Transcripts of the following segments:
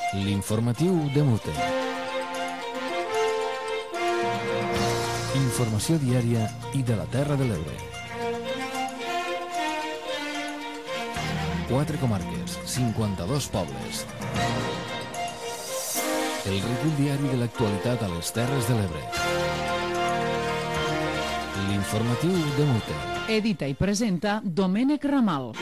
L'informatiu de Mute. Informació diària i de la Terra de l'Ebre. 4 comarques, 52 pobles. El recull diari de l'actualitat a les Terres de l'Ebre. L'informatiu de Mute. Edita i presenta Domènec Ramal.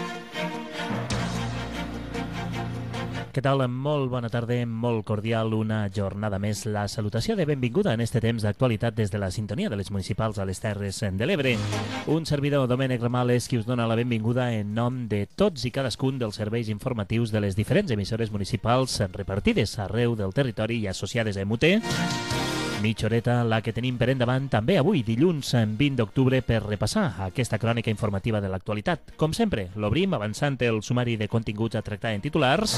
Què tal? Molt bona tarda, molt cordial, una jornada més. La salutació de benvinguda en este temps d'actualitat des de la sintonia de les municipals a les Terres de l'Ebre. Un servidor, Domènec Ramal, és qui us dona la benvinguda en nom de tots i cadascun dels serveis informatius de les diferents emissores municipals repartides arreu del territori i associades a MUT. Mitja horeta, la que tenim per endavant també avui, dilluns 20 d'octubre, per repassar aquesta crònica informativa de l'actualitat. Com sempre, l'obrim avançant el sumari de continguts a tractar en titulars.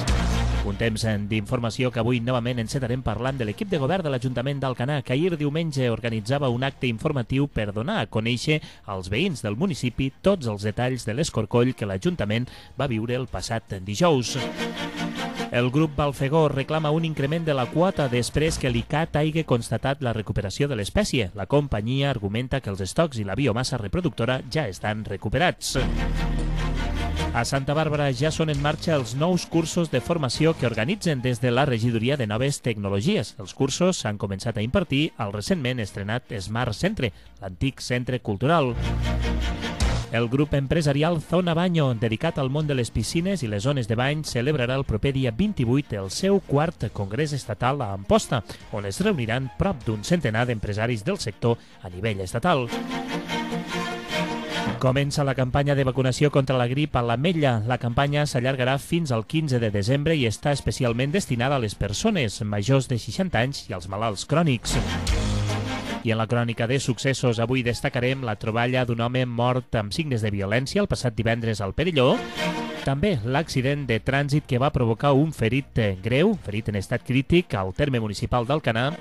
Un temps d'informació que avui novament encetarem parlant de l'equip de govern de l'Ajuntament d'Alcanar, que ahir diumenge organitzava un acte informatiu per donar a conèixer als veïns del municipi tots els detalls de l'escorcoll que l'Ajuntament va viure el passat dijous. El grup Balfegó reclama un increment de la quota després que l'ICAT hagi constatat la recuperació de l'espècie. La companyia argumenta que els estocs i la biomassa reproductora ja estan recuperats. A Santa Bàrbara ja són en marxa els nous cursos de formació que organitzen des de la Regidoria de Noves Tecnologies. Els cursos s'han començat a impartir al recentment estrenat Smart Centre, l'antic centre cultural. El grup empresarial Zona Baño, dedicat al món de les piscines i les zones de bany, celebrarà el proper dia 28 el seu quart congrés estatal a Amposta, on es reuniran prop d'un centenar d'empresaris del sector a nivell estatal. Comença la campanya de vacunació contra la grip a l'Ametlla. La campanya s'allargarà fins al 15 de desembre i està especialment destinada a les persones majors de 60 anys i als malalts crònics. I en la crònica de successos avui destacarem la troballa d'un home mort amb signes de violència el passat divendres al Perelló. També l'accident de trànsit que va provocar un ferit greu, ferit en estat crític, al terme municipal d'Alcanar.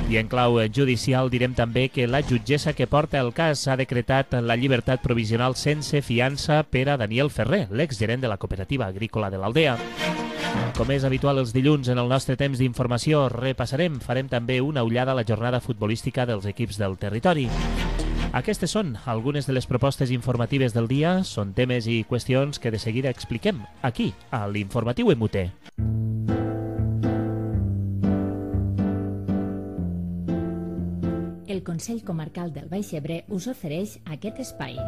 I en clau judicial direm també que la jutgessa que porta el cas ha decretat la llibertat provisional sense fiança per a Daniel Ferrer, l'exgerent de la cooperativa agrícola de l'Aldea. Com és habitual els dilluns en el nostre temps d'informació, farem també una ullada a la jornada futbolística dels equips del territori. Aquestes són algunes de les propostes informatives del dia, són temes i qüestions que de seguida expliquem aquí, a l'Informatiu MUT. El Consell Comarcal del Baix Ebre us ofereix aquest espai.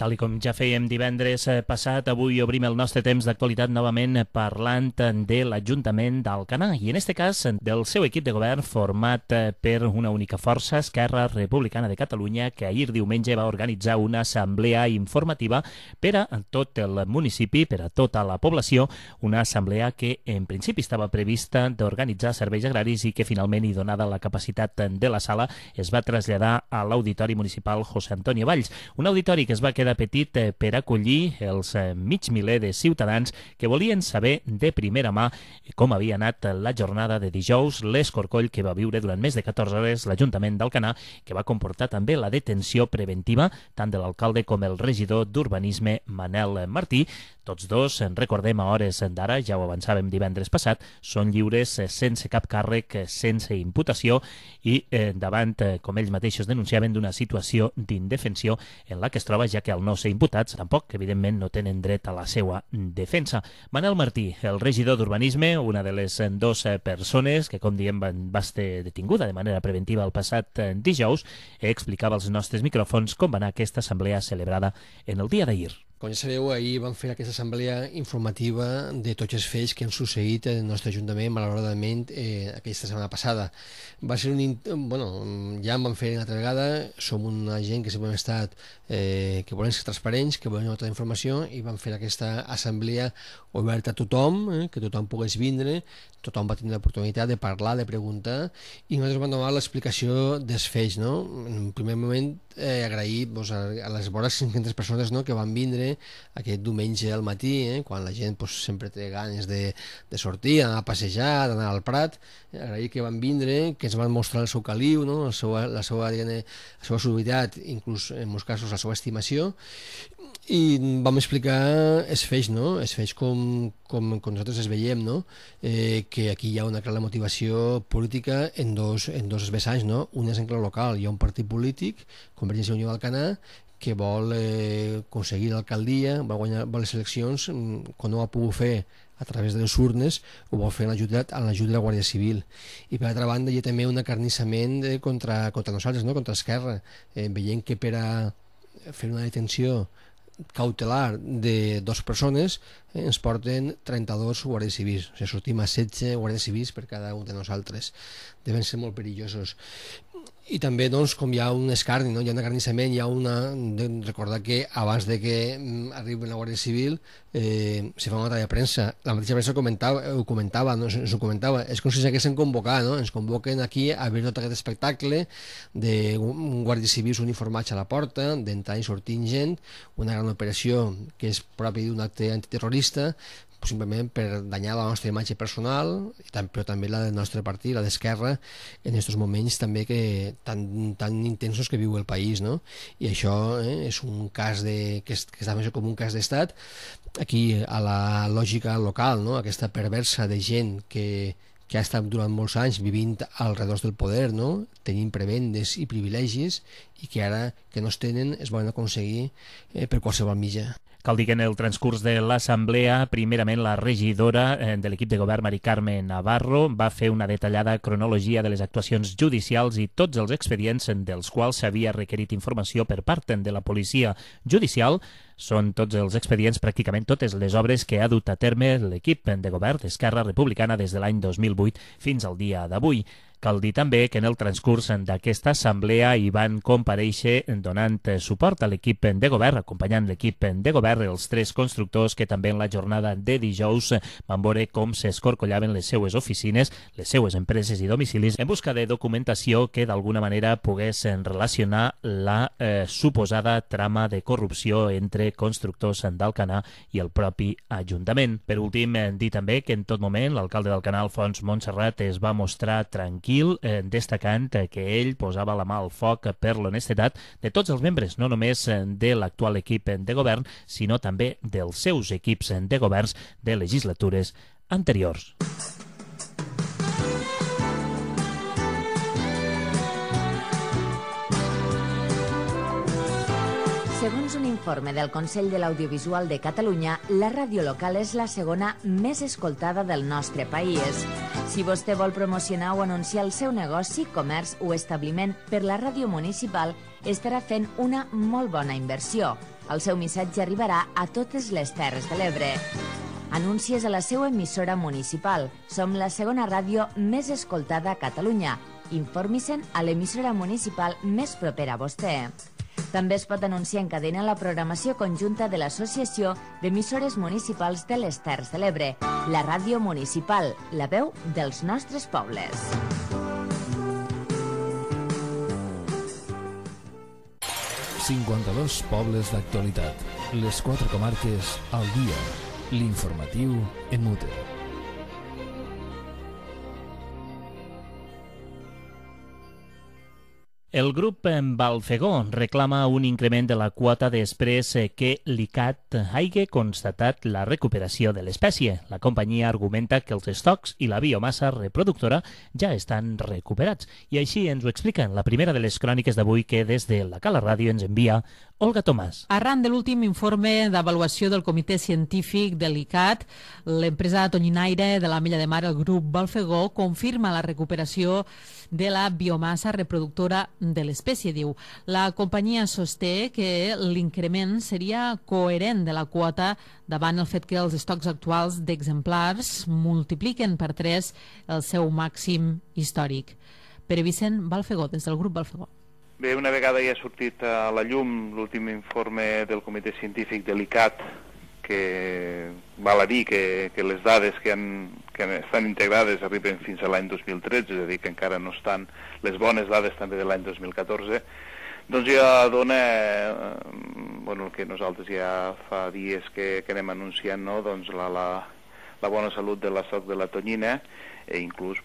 Tal com ja fèiem divendres passat, avui obrim el nostre temps d'actualitat novament parlant de l'Ajuntament d'Alcanar i en aquest cas del seu equip de govern format per una única força, Esquerra Republicana de Catalunya, que ahir diumenge va organitzar una assemblea informativa per a tot el municipi, per a tota la població, una assemblea que en principi estava prevista d'organitzar serveis agraris i que finalment, i donada la capacitat de la sala, es va traslladar a l'Auditori Municipal José Antonio Valls, un auditori que es va quedar petit per acollir els mig miler de ciutadans que volien saber de primera mà com havia anat la jornada de dijous, l'escorcoll que va viure durant més de 14 hores l'Ajuntament d'Alcanar, que va comportar també la detenció preventiva tant de l'alcalde com el regidor d'Urbanisme, Manel Martí. Tots dos, recordem a hores d'ara, ja ho avançàvem divendres passat, són lliures sense cap càrrec, sense imputació i davant, com ells mateixos denunciaven, d'una situació d'indefensió en la que es troba, ja que al no ser imputats, tampoc, evidentment, no tenen dret a la seva defensa. Manel Martí, el regidor d'Urbanisme, una de les dues persones que, com diem, va ser detinguda de manera preventiva el passat dijous, explicava als nostres micròfons com va anar aquesta assemblea celebrada en el dia d'ahir. Com ja sabeu, ahir vam fer aquesta assemblea informativa de tots els fets que han succeït en el nostre Ajuntament, malauradament, aquesta setmana passada. Va ser ja en vam fer una altra vegada, som una gent que sempre hem estat, que volem ser transparents, que volem donar tota la informació, i vam fer aquesta assemblea oberta a tothom, que tothom pogués vindre, tothom va tenir l'oportunitat de parlar, de preguntar, i nosaltres vam donar l'explicació dels fets, no? En un primer moment, agrair a les vores 500 persones que van vindre, aquest diumenge al matí, quan la gent sempre té ganes de sortir, d'anar a passejar, d'anar al Prat, agrair que van vindre, que ens van mostrar el seu caliu, la seva solidaritat, inclús en molts casos la seva estimació, i vam explicar els fets, els fets com nosaltres els veiem, que aquí hi ha una clara motivació política en dos vessants, un és en clau local, hi ha un partit polític, Convergència i Unió d'Alcanar, que vol aconseguir l'alcaldia, vol guanyar les eleccions, quan no ho ha pogut fer a través de les urnes, ho vol fer amb l'ajut de la Guàrdia Civil. I per altra banda hi ha també un acarnissament contra nosaltres, contra Esquerra, veient que per a fer una detenció cautelar de 2 persones ens porten 32 guàrdies civils, o sigui, sortim a 16 guàrdies civils per cada un de nosaltres. Deuen ser molt perillosos. I també, com hi ha un escarni, hi ha un acarnissament, recordar que abans de que arribi la Guàrdia Civil se fa una nota de premsa. La mateixa premsa ho comentava, és com si s'haguessin convocat, ens convoquen aquí a veure tot aquest espectacle d'un guàrdia civils uniformats a la porta, d'entrar i sortint gent, una gran operació que és propi d'un acte antiterrorista, simplement per danyar la nostra imatge personal, però també la del nostre partit, la d'Esquerra, en aquests moments també tan intensos que viu el país, I això és un cas que està més com un cas d'estat. Aquí, a la lògica local, aquesta perversa de gent que ha estat durant molts anys vivint al redós del poder, tenint prebendes i privilegis, i que ara que no es tenen es volen aconseguir per qualsevol mitjà. Cal dir que en el transcurs de l'Assemblea, primerament la regidora de l'equip de govern, Mari Carme Navarro, va fer una detallada cronologia de les actuacions judicials i tots els expedients dels quals s'havia requerit informació per part de la policia judicial. Són tots els expedients, pràcticament totes les obres que ha dut a terme l'equip de govern d'Esquerra Republicana des de l'any 2008 fins al dia d'avui. Cal dir també que en el transcurs d'aquesta assemblea hi van comparèixer donant suport a l'equip de govern, acompanyant l'equip de govern, els 3 constructors que també en la jornada de dijous van veure com s'escorcollaven les seues oficines, les seues empreses i domicilis en busca de documentació que d'alguna manera pogués relacionar la suposada trama de corrupció entre constructors d'Alcanar i el propi Ajuntament. Per últim, dir també que en tot moment l'alcalde d'Alcanar, Alfons Montserrat, es va mostrar tranquil, destacant que ell posava la mà al foc per l'honestedat de tots els membres, no només de l'actual equip de govern, sinó també dels seus equips de governs de legislatures anteriors. Segons un informe del Consell de l'Audiovisual de Catalunya, la ràdio local és la segona més escoltada del nostre país. Si vostè vol promocionar o anunciar el seu negoci, comerç o establiment per la ràdio municipal, estarà fent una molt bona inversió. El seu missatge arribarà a totes les Terres de l'Ebre. Anuncies a la seva emissora municipal. Som la segona ràdio més escoltada a Catalunya. Informi-se'n a l'emissora municipal més propera a vostè. També es pot anunciar en cadena la programació conjunta de l'Associació d'Emissores Municipals de les Terres de l'Ebre, la ràdio municipal, la veu dels nostres pobles. ...52 pobles d'actualitat. Les 4 comarques al dia. L'informatiu en Mute. El grup Balfegó reclama un increment de la quota després que l'ICAT hagi constatat la recuperació de l'espècie. La companyia argumenta que els estocs i la biomassa reproductora ja estan recuperats. I així ens ho explica en la primera de les cròniques d'avui que des de la Cala Ràdio ens envia Olga Tomàs. Arran de l'últim informe d'avaluació del Comitè Científic de l'ICAT, l'empresa tonyinaire de l'Ametlla de Mar, el grup Balfegó, confirma la recuperació de la biomassa reproductora de l'espècie, diu. La companyia sosté que l'increment seria coherent de la quota davant el fet que els estocs actuals d'exemplars multipliquen per 3 el seu màxim històric. Pere Vicent Balfegó, des del grup Balfegó. Bé, una vegada ja ha sortit a la llum l'últim informe del Comitè Científic de l'ICAT, que val a dir que les dades que estan integrades arriben fins a l'any 2013, és a dir, que encara no estan les bones dades també de l'any 2014, doncs ja dona el que nosaltres ja fa dies que anem anunciant, no? Doncs la bona salut de la soc de la tonyina, inclús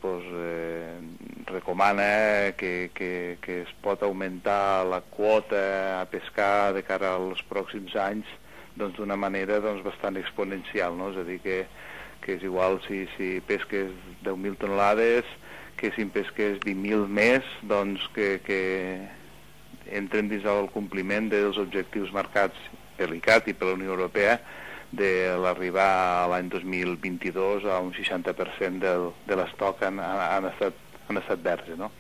recomana que es pot augmentar la quota a pescar de cara als pròxims anys d'una manera bastant exponencial, no? És a dir, que és igual si pesques 10.000 tonelades que si en pesques 20.000 més, doncs que entren dins el compliment dels objectius marcats per l'ICAT i per la Unió Europea de l'arribar a l'any 2022 a un 60% de l'estoc han estat verds, no?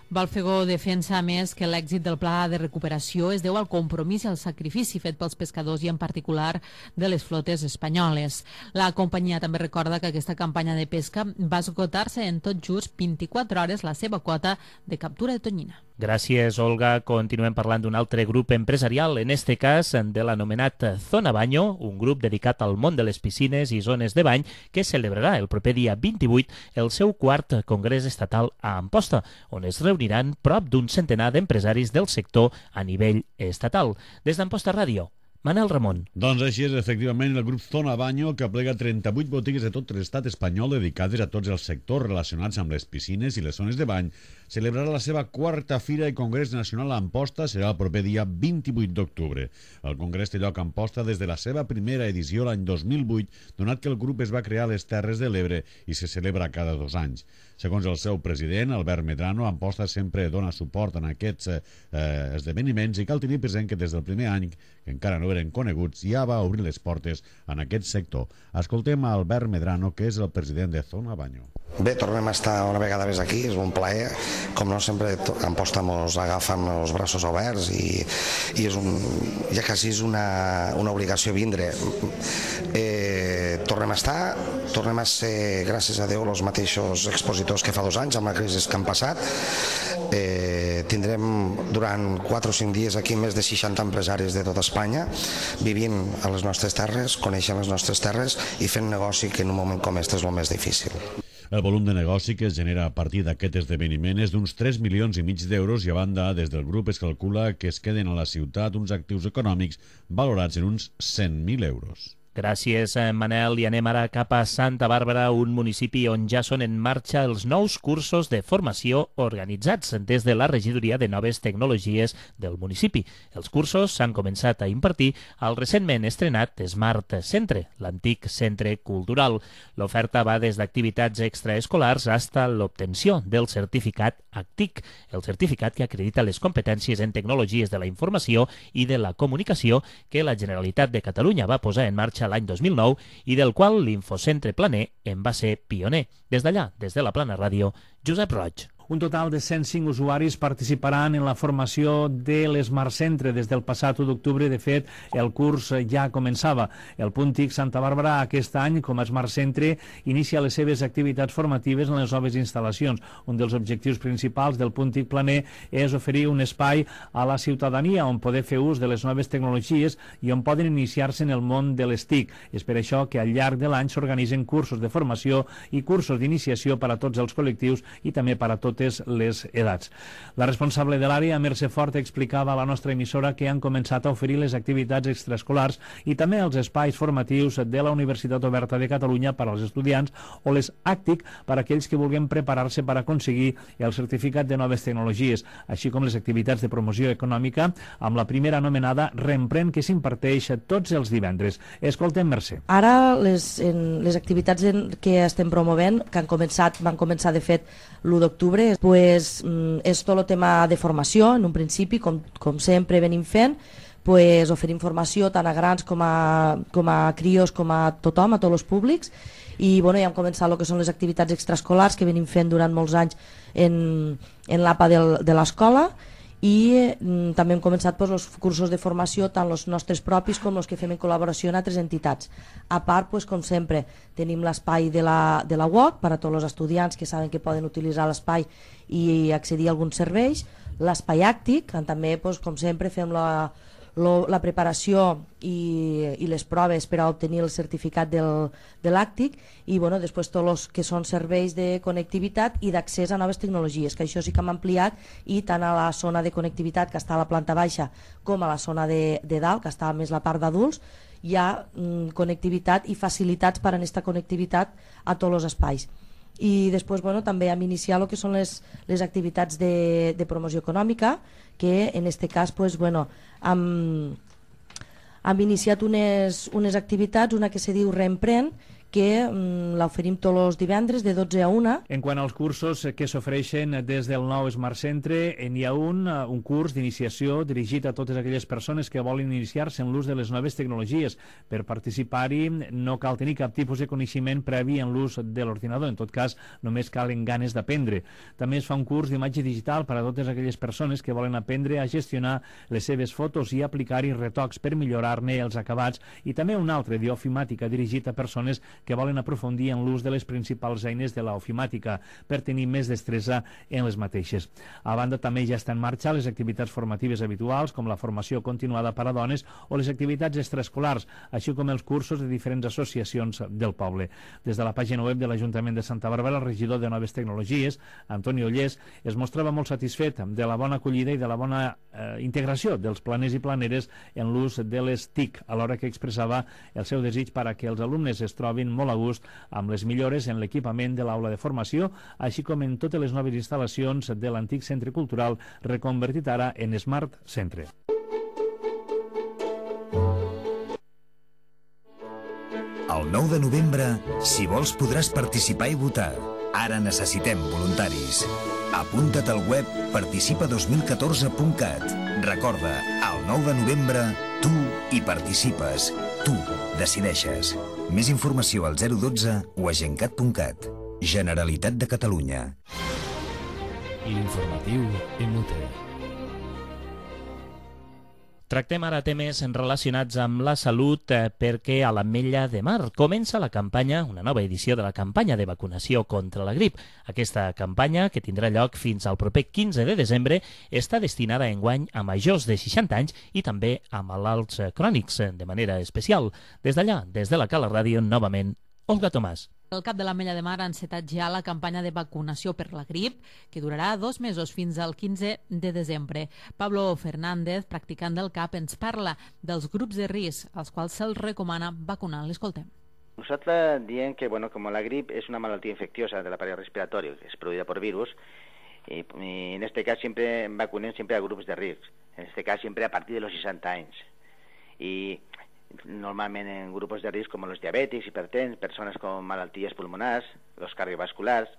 Balfegó defensa, a més, que l'èxit del pla de recuperació es deu al compromís i al sacrifici fet pels pescadors i en particular de les flotes espanyoles. La companyia també recorda que aquesta campanya de pesca va esgotar-se en tot just 24 hores la seva quota de captura de tonyina. Gràcies, Olga. Continuem parlant d'un altre grup empresarial, en este cas de l'anomenat Zona Baño, un grup dedicat al món de les piscines i zones de bany que celebrarà el proper dia 28 el seu quart congrés estatal a Amposta, on es reuniran prop d'un centenar d'empresaris del sector a nivell estatal. Des d'Amposta Ràdio, Manel Ramon. Doncs així és, efectivament, el grup Zona Baño, que aplega 38 botigues de tot l'estat espanyol dedicades a tots els sectors relacionats amb les piscines i les zones de bany, celebrarà la seva quarta fira i congrés nacional a Amposta, serà el proper dia 28 d'octubre. El congrés té lloc a Amposta des de la seva primera edició l'any 2008, donat que el grup es va crear a les Terres de l'Ebre i se celebra cada 2 anys. Segons el seu president, Albert Medrano, Amposta sempre dona suport en aquests esdeveniments i cal tenir present que des del primer any, que encara no eren coneguts, ja va obrir les portes en aquest sector. Escoltem a Albert Medrano, que és el president de Zona Baño. Bé, tornem a estar una vegada més aquí, és un plaer. Com no, sempre Amposta ens agafa amb els braços oberts i ja quasi és una obligació vindre. Tornem a estar, tornem a ser, gràcies a Déu, els mateixos expositors que fa 2 anys, amb la crisi que han passat. Tindrem durant 4 o 5 dies aquí més de 60 empresaris de tota Espanya vivint a les nostres terres, coneixent les nostres terres i fent negoci, que en un moment com aquest és el més difícil. El volum de negoci que es genera a partir d'aquest esdeveniment és d'uns 3,5 milions d'euros i a banda, des del grup es calcula que es queden a la ciutat uns actius econòmics valorats en uns 100.000 euros. Gràcies, Manel. I anem ara cap a Santa Bàrbara, un municipi on ja són en marxa els nous cursos de formació organitzats des de la Regidoria de Noves Tecnologies del municipi. Els cursos s'han començat a impartir al recentment estrenat Smart Centre, l'antic centre cultural. L'oferta va des d'activitats extraescolars fins a l'obtenció del certificat ACTIC, el certificat que acredita les competències en tecnologies de la informació i de la comunicació que la Generalitat de Catalunya va posar en marxa l'any 2009 i del qual l'Infocentre Planer en va ser pioner. Des d'allà, des de la Plana Ràdio, Josep Roig. Un total de 105 usuaris participaran en la formació de l'Smart Centre. Des del passat 1 d'octubre, de fet, el curs ja començava. El Punt TIC Santa Bàrbara aquest any, com a Smart Centre, inicia les seves activitats formatives en les noves instal·lacions. Un dels objectius principals del Punt TIC Planer és oferir un espai a la ciutadania on poder fer ús de les noves tecnologies i on poden iniciar-se en el món de les TIC. És per això que al llarg de l'any s'organitzen cursos de formació i cursos d'iniciació per a tots els col·lectius i també per a totes les edats. La responsable de l'àrea, Mercè Fort, explicava a la nostra emissora que han començat a oferir les activitats extraescolars i també els espais formatius de la Universitat Oberta de Catalunya per als estudiants o les ACTIC per a aquells que vulguin preparar-se per aconseguir el certificat de noves tecnologies, així com les activitats de promoció econòmica amb la primera anomenada Reemprèn, que s'imparteix tots els divendres. Escoltem, Mercè. Ara les activitats que estem promovent, que van començar de fet l'1 d'octubre, pues, és tot el tema de formació, en un principi, com sempre venim fent, pues, oferim formació tant a grans com a crios, com a tothom, a tots els públics, i bueno, ja hem començat el que són les activitats extraescolars que venim fent durant molts anys en l'APA de l'escola, i també hem començat pues, els cursos de formació, tant els nostres propis com els que fem en col·laboració amb altres entitats. A part, pues, com sempre, tenim l'espai de la UOC per a tots els estudiants que saben que poden utilitzar l'espai i accedir a alguns serveis, l'espai àctic, on també, pues, com sempre, fem la preparació i les proves per a obtenir el certificat de l'ACTIC i bueno, després tots els que són serveis de connectivitat i d'accés a noves tecnologies, que això sí que hem ampliat, i tant a la zona de connectivitat que està a la planta baixa com a la zona de dalt, que està més la part d'adults, hi ha connectivitat i facilitats per a aquesta connectivitat a tots els espais. I després bueno, també hem iniciat el que són les activitats de promoció econòmica, que en aquest cas pues, bueno, hem iniciat unes activitats, una que se diu Reemprèn, que l'oferim tots els divendres de 12 a 1. En quant als cursos que s'ofereixen des del nou Smart Centre, hi ha un curs d'iniciació dirigit a totes aquelles persones que volen iniciar-se en l'ús de les noves tecnologies. Per participar-hi no cal tenir cap tipus de coneixement previ en l'ús de l'ordinador, en tot cas només calen ganes d'aprendre. També es fa un curs d'imatge digital per a totes aquelles persones que volen aprendre a gestionar les seves fotos i aplicar-hi retocs per millorar-ne els acabats, i també un altre d'ofimàtica dirigit a persones que volen aprofundir en l'ús de les principals eines de l'ofimàtica per tenir més destresa en les mateixes. A banda, també ja estan en marxa les activitats formatives habituals, com la formació continuada per a dones o les activitats extraescolars, així com els cursos de diferents associacions del poble. Des de la pàgina web de l'Ajuntament de Santa Bàrbara, el regidor de Noves Tecnologies, Antoni Ollés, es mostrava molt satisfet de la bona acollida i de la bona integració dels planers i planeres en l'ús de les TIC, alhora que expressava el seu desig per a que els alumnes es trobin molt a gust amb les millores en l'equipament de l'aula de formació, així com en totes les noves instal·lacions de l'antic centre cultural reconvertit ara en Smart Centre. El 9 de novembre, si vols, podràs participar i votar. Ara necessitem voluntaris. Apunta't al web participa2014.cat. Recorda, el 9 de novembre, tu hi participes. Tu decideixes. Més informació al 012 o a gencat.cat. Generalitat de Catalunya. L'informatiu MUT. Tractem ara temes relacionats amb la salut perquè a l'Ametlla de Mar comença la campanya, una nova edició de la campanya de vacunació contra la grip. Aquesta campanya, que tindrà lloc fins al proper 15 de desembre, està destinada enguany a majors de 60 anys i també a malalts crònics de manera especial. Des d'allà, des de la Cala Ràdio, novament, Olga Tomàs. El cap de l'Ametlla de Mar ha encetat ja la campanya de vacunació per la grip, que durarà 2 mesos fins al 15 de desembre. Pablo Fernández, practicant del CAP, ens parla dels grups de risc als quals se'ls recomana vacunar. L'escoltem. Nosaltres diem que como la grip es una malaltia infecciosa del aparato respiratorio, que es producida por virus, y en este caso siempre vacunen siempre a grupos de risc, en este caso siempre a partir de los 60 anys. Y normalment en grupos de risc como los diabètics, hipertens, personas con malalties pulmonars, los cardiovasculars.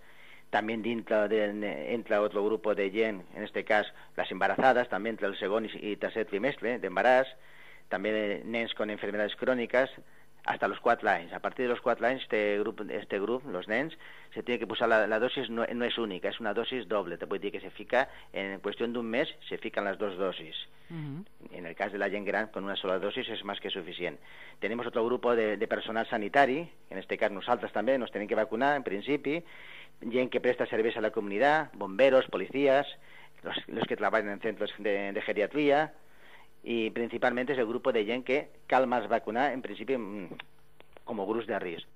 También entra otro grupo de gent, en este cas las embarazadas, també entre el segon i tercer trimestre d'embaràs, també nens con enfermedades crónicas, hasta los 4 anys. A partir de los 4 anys, este grup, los nens, se tiene que posar la dosis, no es única, es una dosis doble. Te puede decir que se fica, en cuestión de un mes, se fican las 2 dosis. En el cas de la gent gran, con una sola dosis es más que suficient. Tenemos otro grupo de personal sanitari, en este cas nosaltres també nos tienen que vacunar, en principi, gent que presta serveis a la comunitat, bomberos, policías, los que trabajan en centros de geriatría, y principalmente es el grupo de gent que cal más vacunar, en principi, com a grups de risc.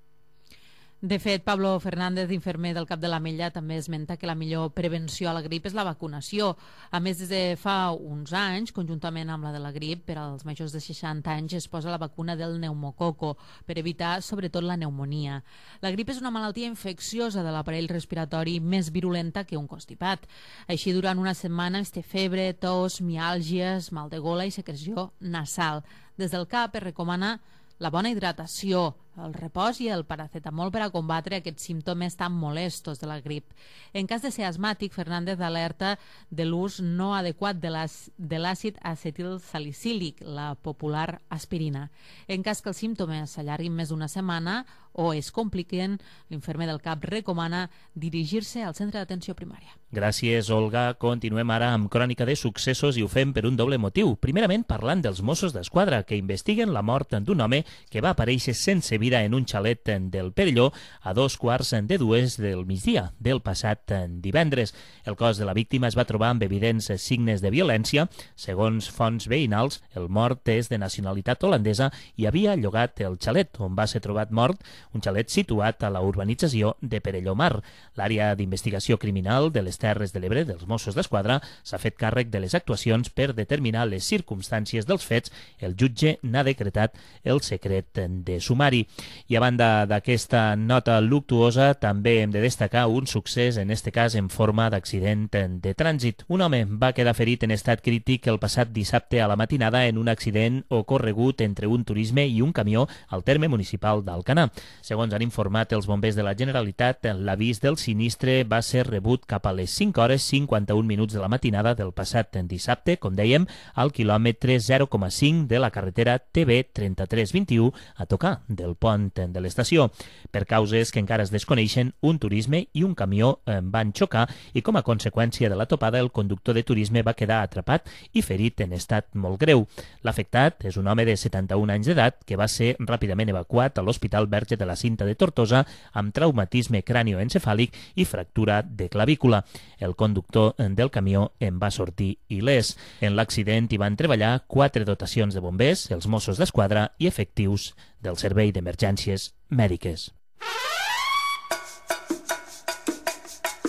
De fet, Pablo Fernández, infermer del CAP de l'Ametlla, també esmenta que la millor prevenció a la grip és la vacunació. A més, des de fa uns anys, conjuntament amb la de la grip, per als majors de 60 anys es posa la vacuna del pneumococo per evitar, sobretot, la pneumonia. La grip és una malaltia infecciosa de l'aparell respiratori més virulenta que un constipat. Així, durant una setmana es té febre, tos, miàlgies, mal de gola i secreció nasal. Des del CAP es recomana la bona hidratació, el repòs i el paracetamol per a combatre aquests símptomes tan molestos de la grip. En cas de ser asmàtic, Fernández alerta de l'ús no adequat de l'àcid acetilsalicílic, la popular aspirina. En cas que els símptomes s'allarguin més d'una setmana o es compliquen, l'infermer del CAP recomana dirigir-se al centre d'atenció primària. Gràcies, Olga. Continuem ara amb crònica de successos i ho fem per un doble motiu. Primerament, parlant dels Mossos d'Esquadra, que investiguen la mort d'un home que va aparèixer sense vida en un xalet del Perelló a 2:45 del migdia del passat divendres. El cos de la víctima es va trobar amb evidents signes de violència. Segons fonts veïnals, el mort és de nacionalitat holandesa i havia llogat el xalet on va ser trobat mort, un xalet situat a la urbanització de Perelló Mar. L'àrea d'investigació criminal de les Terres de l'Ebre dels Mossos d'Esquadra s'ha fet càrrec de les actuacions per determinar les circumstàncies dels fets. El jutge n'ha decretat el secret de sumari. I a banda d'aquesta nota luctuosa, també hem de destacar un succés, en este cas en forma d'accident de trànsit. Un home va quedar ferit en estat crític el passat dissabte a la matinada en un accident ocorregut entre un turisme i un camió al terme municipal d'Alcanar. Segons han informat els bombers de la Generalitat, l'avís del sinistre va ser rebut cap a les 5:51 de la matinada del passat dissabte, com dèiem, al quilòmetre 0,5 de la carretera TB 3321 a tocar del pont de l'estació. Per causes que encara es desconeixen, un turisme i un camió van xocar i com a conseqüència de la topada el conductor de turisme va quedar atrapat i ferit en estat molt greu. L'afectat és un home de 71 anys d'edat que va ser ràpidament evacuat a l'Hospital Verge de la Cinta de Tortosa amb traumatisme cranioencefàlic i fractura de clavícula. El conductor del camió en va sortir il·lès. En l'accident hi van treballar 4 dotacions de bombers, els Mossos d'Esquadra i efectius del Servei d'Emergències Mèdiques.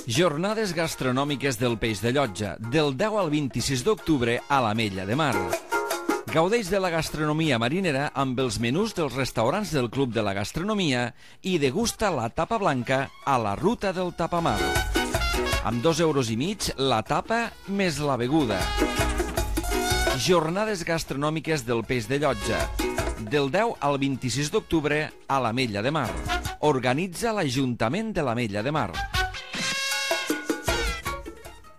Jornades gastronòmiques del Peix de Llotja, del 10 al 26 d'octubre a l'Ametlla de Mar. Gaudeix de la gastronomia marinera amb els menús dels restaurants del Club de la Gastronomia i degusta la tapa blanca a la Ruta del Tapamar. Amb 2,5 € la tapa més la beguda. Jornades gastronòmiques del Peix de Llotja, del 10 al 26 d'octubre a l'Ametlla de Mar. Organitza l'Ajuntament de l'Ametlla de Mar.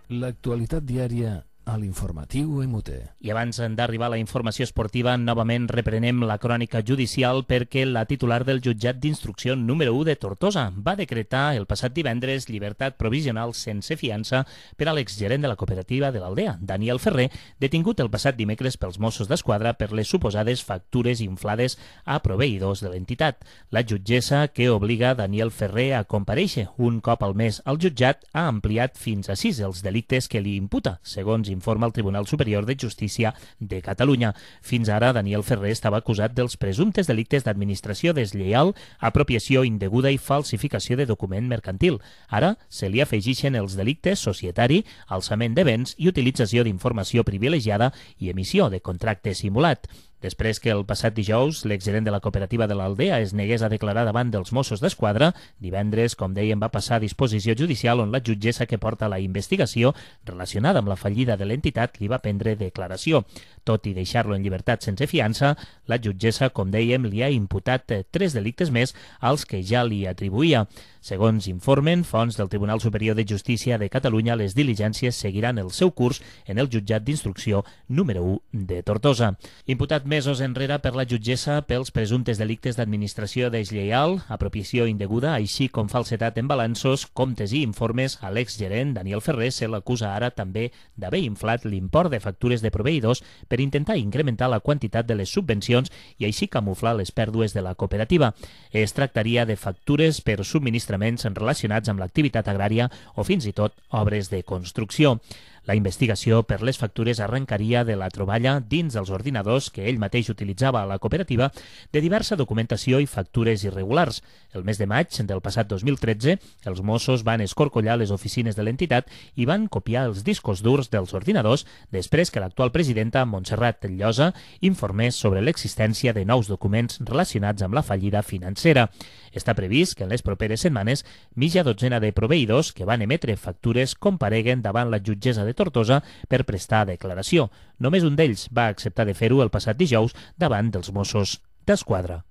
L'actualitat diària a l'informatiu MUT. I abans d'arribar a la informació esportiva, novament reprenem la crònica judicial perquè la titular del jutjat d'instrucció número 1 de Tortosa va decretar el passat divendres llibertat provisional sense fiança per a l'exgerent de la cooperativa de l'Aldea, Daniel Ferrer, detingut el passat dimecres pels Mossos d'Esquadra per les suposades factures inflades a proveïdors de l'entitat. La jutgessa, que obliga Daniel Ferrer a comparèixer un cop al mes al jutjat, ha ampliat fins a 6 els delictes que li imputa, segons informa el Tribunal Superior de Justícia de Catalunya. Fins ara, Daniel Ferrer estava acusat dels presumptes delictes d'administració deslleial, apropiació indeguda i falsificació de document mercantil. Ara se li afegeixen els delictes societari, alçament de béns i utilització d'informació privilegiada i emissió de contracte simulat. Després que el passat dijous l'exgerent de la cooperativa de l'Aldea es negués a declarar davant dels Mossos d'Esquadra, divendres, com dèiem, va passar a disposició judicial on la jutgessa que porta la investigació relacionada amb la fallida de l'entitat li va prendre declaració. Tot i deixar-lo en llibertat sense fiança, la jutgessa, com dèiem, li ha imputat 3 delictes més als que ja li atribuïa. Segons informen fonts del Tribunal Superior de Justícia de Catalunya, les diligències seguiran el seu curs en el jutjat d'instrucció número 1 de Tortosa. Imputat mesos enrere per la jutgessa pels presumptes delictes d'administració deslleial, apropiació indeguda, així com falsedat en balanços, comptes i informes, a l'exgerent Daniel Ferrer se l'acusa ara també d'haver inflat l'import de factures de proveïdors per intentar incrementar la quantitat de les subvencions i així camuflar les pèrdues de la cooperativa. Es tractaria de factures per subministraments relacionats amb l'activitat agrària o fins i tot obres de construcció. La investigació per les factures arrencaria de la troballa dins els ordinadors que ell mateix utilitzava a la cooperativa de diversa documentació i factures irregulars. El mes de maig del passat 2013, els Mossos van escorcollar les oficines de l'entitat i van copiar els discos durs dels ordinadors després que l'actual presidenta, Montserrat Llosa, informés sobre l'existència de nous documents relacionats amb la fallida financera. Està previst que en les properes setmanes mitja dotzena de proveïdors que van emetre factures compareguen davant la jutgessa de Tortosa per prestar declaració. Només un d'ells va acceptar de fer-ho el passat dijous davant dels Mossos d'Esquadra.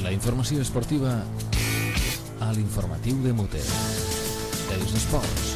La informació esportiva a l'informatiu de MUT. Els esports.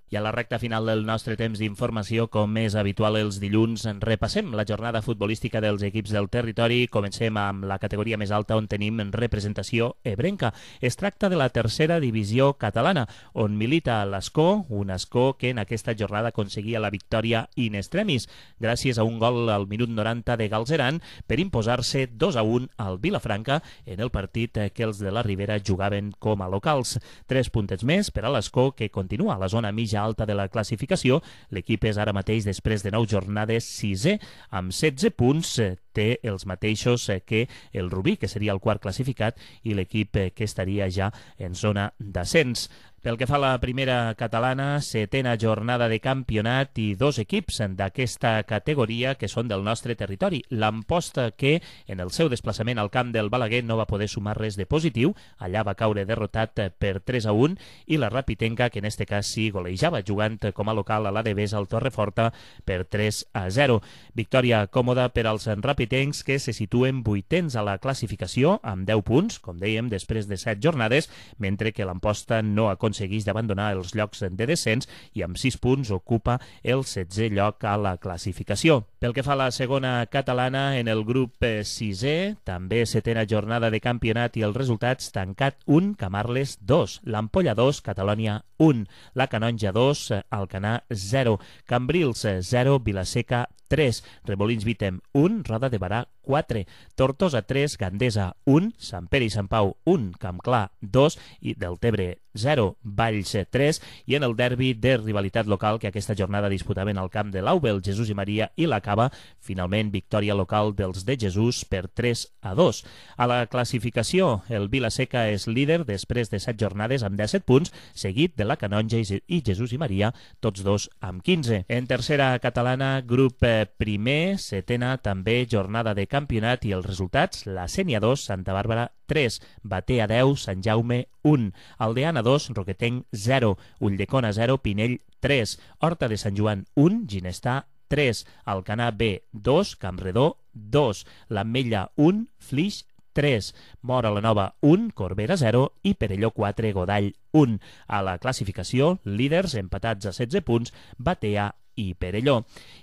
I a la recta final del nostre temps d'informació, com és habitual els dilluns, repassem la jornada futbolística dels equips del territori. Comencem amb la categoria més alta, on tenim representació ebrenca. Es tracta de la tercera divisió catalana, on milita l'Escó, un Escó que en aquesta jornada aconseguia la victòria in extremis, gràcies a un gol al minut 90 de Galzeran per imposar-se 2-1 al Vilafranca en el partit que els de la Ribera jugaven com a locals. 3 puntets més per a l'Escó, que continua a la zona mitja alta de la classificació. L'equip és ara mateix, després de 9 jornades, 6è, amb 16 punts. Té els mateixos que el Rubí, que seria el quart classificat, i l'equip que estaria ja en zona d'ascens. Pel que fa a la primera catalana, 7a jornada de campionat i 2 equips d'aquesta categoria que són del nostre territori. L'Amposta, que en el seu desplaçament al camp del Balaguer no va poder sumar res de positiu, allà va caure derrotat per 3-1, i la Rapitenca, que en este cas sí golejava jugant com a local a la Devesa al Torreforta per 3-0. Victòria còmoda per als rapitencs, que se situen 8ens a la classificació amb 10 punts, com dèiem, després de 7 jornades, mentre que l'Amposta no aconsegueix d'abandonar els llocs de descens i amb 6 punts ocupa el 16è lloc a la classificació. Pel que fa a la segona catalana, en el grup 6è, també 7a jornada de campionat i els resultats: Tancat 1, Camarles 2, l'Ampolla 2, Catalonia 1, la Canonja 2, Alcanar 0, Cambrils 0, Vilaseca 3, Remolins Vítem 1, Roda de Barà 4, Tortosa 3, Gandesa 1, Sant Pere i Sant Pau 1, Campclar 2 i Deltebre 0, Valls 3, i en el derbi de rivalitat local que aquesta jornada disputaven al camp de l'Aubel, Jesús i Maria i la Cava, finalment victòria local dels de Jesús per 3-2. A la classificació, el Vilaseca és líder després de 7 jornades amb 17 punts, seguit de la Canonja i Jesús i Maria, tots dos amb 15. En tercera catalana, grup primer, 7a també jornada de campionat i els resultats: la Sénia 2, Santa Bàrbara 3, Batea 10, Sant Jaume 1, Aldeana 2, Roquetenc 0, Ulldecona 0, Pinell 3, Horta de Sant Joan 1, Ginestà 3, Alcanar B 2, Campredó 2, l'Ametlla 1, Flix 3, Móra la Nova 1, Corbera 0 i Perelló 4, Godall 1. A la classificació, líders empatats a 16 punts, Batea i Perelló.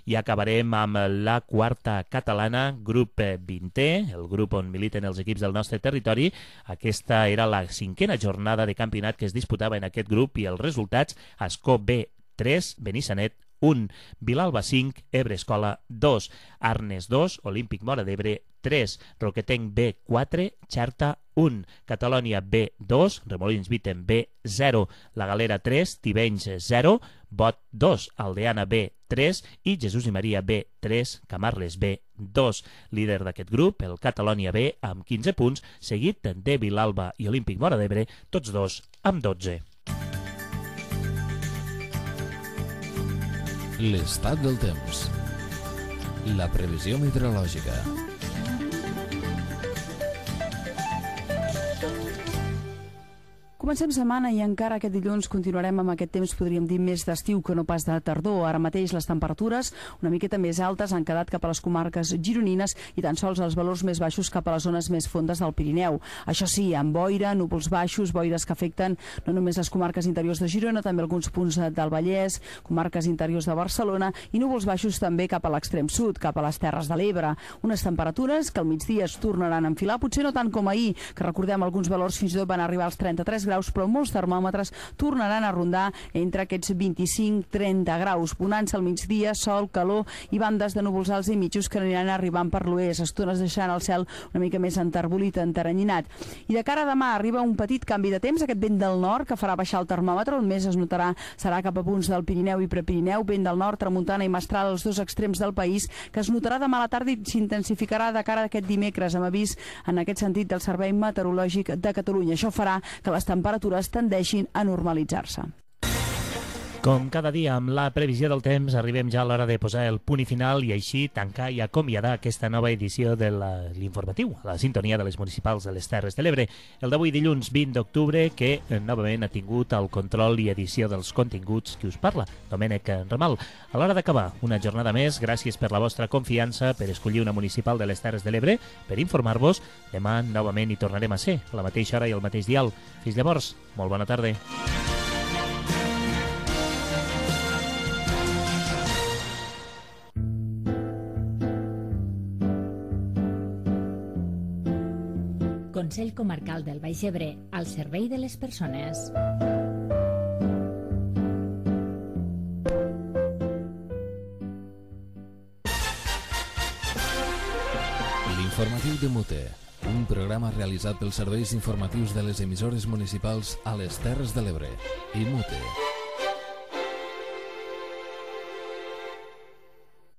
I acabarem amb la quarta catalana, grup 20è, el grup on militen els equips del nostre territori. Aquesta era la 5a jornada de campionat que es disputava en aquest grup i els resultats: Escó B 3, Benissanet 1, Vilalba 5, Ebre Escola 2, Arnes 2, Olímpic Móra d'Ebre 3, Roquetenc B 4, Xerta 1, Catalonia B 2, Remolins Vítem B 0, La Galera 3, Tivenys 0, Bot 2, Aldeana B 3 i Jesús i Maria B 3, Camarles B 2. Líder d'aquest grup, el Catalonia B, amb 15 punts, seguit de Vilalba i Olímpic Móra d'Ebre, tots dos amb 12. L'estat del temps. La previsió meteorològica. Comencem setmana i encara aquest dilluns continuarem amb aquest temps, podríem dir, més d'estiu que no pas de tardor. Ara mateix les temperatures una miqueta més altes han quedat cap a les comarques gironines i tan sols els valors més baixos cap a les zones més fondes del Pirineu. Això sí, amb boira, núvols baixos, boires que afecten no només les comarques interiors de Girona, també alguns punts del Vallès, comarques interiors de Barcelona, i núvols baixos també cap a l'extrem sud, cap a les Terres de l'Ebre. Unes temperatures que al migdia es tornaran a enfilar, potser no tant com ahir, que recordem alguns valors fins i tot van arribar als 33 graus, però molts termòmetres tornaran a rondar entre aquests 25-30 graus. Bonança al migdia, sol, calor i bandes de núvols alts i mitjos que aniran arribant per l'oest, estones deixant el cel una mica més enterbolit, enteranyinat. I de cara a demà arriba un petit canvi de temps, aquest vent del nord que farà baixar el termòmetre, on més es notarà serà cap a punts del Pirineu i Prepirineu, vent del nord, tramuntana i mestral als dos extrems del país, que es notarà demà a la tarda i s'intensificarà de cara a aquest dimecres, amb avís en aquest sentit del Servei Meteorològic de Catalunya. Això farà que les temperatures tendeixin a normalitzar-se. Com cada dia, amb la previsió del temps, arribem ja a l'hora de posar el punt i final i així tancar i acomiadar aquesta nova edició de l'informatiu, a la sintonia de les municipals de les Terres de l'Ebre. El d'avui, dilluns 20 d'octubre, que novament ha tingut el control i edició dels continguts qui us parla, Domènec Ramal. A l'hora d'acabar, una jornada més, gràcies per la vostra confiança, per escollir una municipal de les Terres de l'Ebre, per informar-vos. Demà novament hi tornarem a ser, a la mateixa hora i al mateix dial. Fins llavors, molt bona tarda. Consell Comarcal del Baix Ebre, al servei de les persones. L'informatiu de Mute, un programa realitzat pels serveis informatius de les emissores municipals a les Terres de l'Ebre i Mute.